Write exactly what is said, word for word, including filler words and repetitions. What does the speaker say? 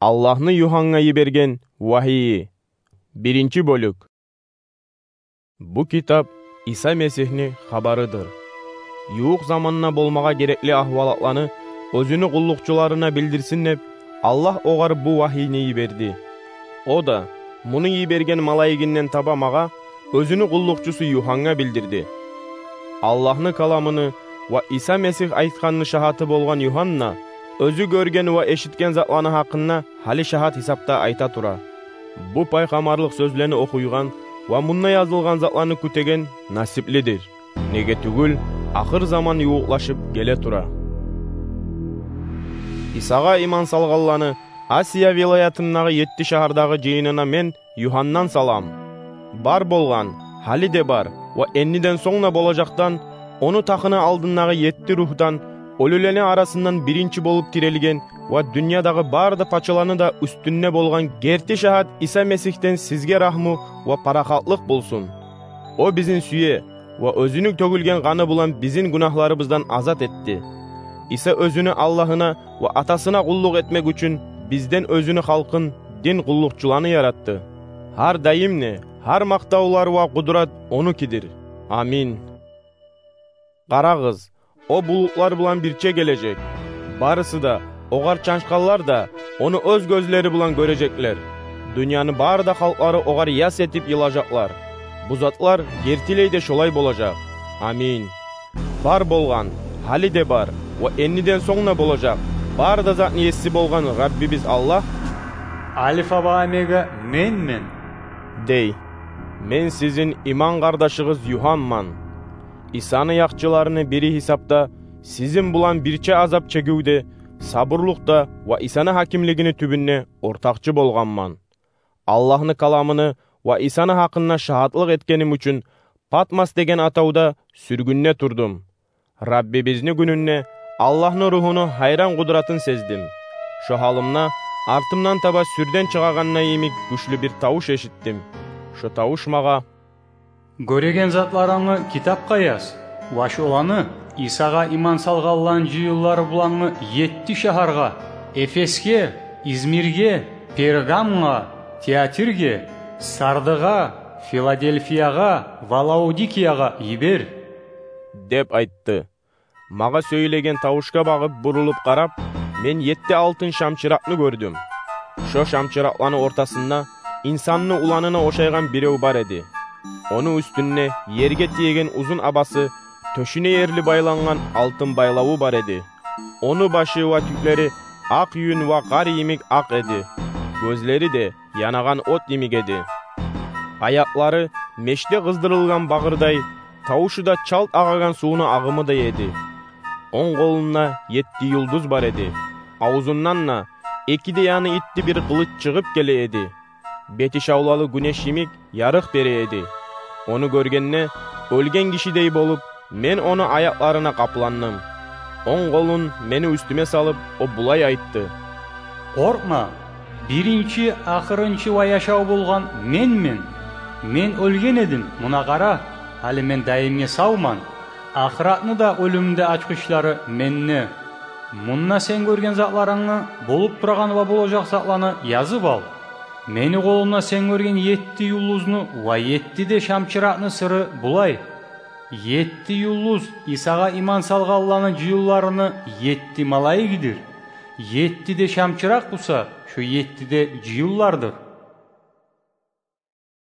Аллагьны Югьаннга йиберген вагьийи. Биринчи бёлюк. Бу китап Иса Месигьни хабарыдыр. Ювукъ заманда болмагъа герекли агьвалатланы оьзюню къуллукъчуларына билдирсин деп, Аллагь огъар бу вагьийни йиберди. О да, муну йиберген малайигинден таба магъа, оьзюню къуллукъчусу Югьаннга билдирди. Аллагьны каламыны ва Иса Месигь айтгъанны шагьаты болгъан Югьанна оьзю гёрген ва эшитген затланы гьакъында гьали шагьат гьисапда айта тура. Бу пайхаммарлыкъ сёзлени охуйгъан ва мунда язылгъан затланы кютеген насиплидир. Неге тюгюл, ахыр заман ювукълашып геле тура. Исагъа иман салгъанланы Асия вилаятындагъы етти шагьардагъы жыйынына мен, Югьаннан, салам. Бар болгъан, гьали де бар ва энниден сонг да болажакъдан, ону тахыны алдындагъы етти ругьдан, оьлюлени арасындан биринчи болуп тирилген ва дюньядагъы бары да пачаланы да уьстюнде болгъан герти шагьат Иса Месигьден сизге рагьму ва парахатлыкъ болсун. О бизин сюе ва оьзюню тёгюлген къаны булан бизин гюнагьларыбыздан азат этди. Иса оьзюню Аллагьына ва Атасына къуллукъ этмек учун бизден оьзюню халкъын, дин къуллукъчуланы яратды. Гьар дайым да гьар макътавлар ва къудрат онукидир. Амин. Къарагъыз, о булутлар булан бирче гележек. Барысы да, огъар чанчгъанлар да, ону оьз гёзлери булан гёрежеклер. Дюньяны бары да халкълары огъар яс этип йылажакълар. Бу затлар гертилей де шолай болажакъ. Амин. Бар болгъан, гьали де бар ва энниден сонг да болажакъ бары да затны еси болгъан Раббибиз Аллагь, Альфа ва Омега менмен, дей. Мен сизин иман къардашыгъыз Югьанман. Исаны якъчыларыны бири гьисапда сизин булан бирче азап чегивде, сабурлукъда ва Исаны гьакимлигини тюбюнде ортакъчы болгъанман. Аллагьны каламыны ва Исаны гьакъында шагьатлыкъ этгеним учун Патмос деген атавда сюргюнде турдум. Раббибизни гюнюнде Аллагьны Ругьуну гьайран къудратын сездим. Шо гьалымда артымдан таба сюрден чыгъагъанда йимик гючлю бир тавуш эшитдим. Шо тавуш магъа: «Гёреген затларынгны китапгъа яз ва шоланы Исагъа иман салгъанланы жыйынлары булангъы етти шагьаргъа: Эфесге, Измирге, Пергамгъа, Тиатирге, Сардыгъа, Филадельфиягъа ва Лаодикиягъа йибер», — деп айтды. Магъа сёйлеген тавушгъа багъып бурулуп къарап, мен етти алтын шамчыракъны гёрдюм. Шо шамчыракъланы ортасында инсанны уланына ошайгъан бирев бар эди. Ону уьстюнде ерге тиеген узун абасы, тёшюне ерли байлангъан алтын байлаву бар эди. Ону башы ва тюклери акъ юн ва къар йимик акъ эди. Гёзлери де янагъан от йимик эди. Аякълары мешде къыздырылгъан багъырдай, тавушу да чалт агъагъан сувну агъымыдай эди. Онг къолунда етти юлдуз бар эди. Авзундан да эки де яны итти бир къылыч чыгъып геле эди. Бети шавлалы гюнеш йимик ярыкъ бере эди. Ону гёргенде, оьлген гишидей болуп, мен ону аякъларына къапландым. Онг къолун мени уьстюме салып, о булай айтды: «Къоркъма, биринчи, ахырынчы ва яшав болгъан менмен. Мен оьлген эдим, муна къара, гьали мен дайымгъа савман. Ахыратны да, оьлюмню де ачгъычлары менде. Мунда сен гёрген затларынгны, болуп турагъан ва болажакъ затланы язып ал. Мени къолумда сен гёрген етти юлдузну ва етти де шамчыракъны сыры булай: етти юлдуз Исагъа иман салгъанланы жыйынларыны етти малайигидир. Етти де шамчыракъ буса шо етти де жыйынлардыр».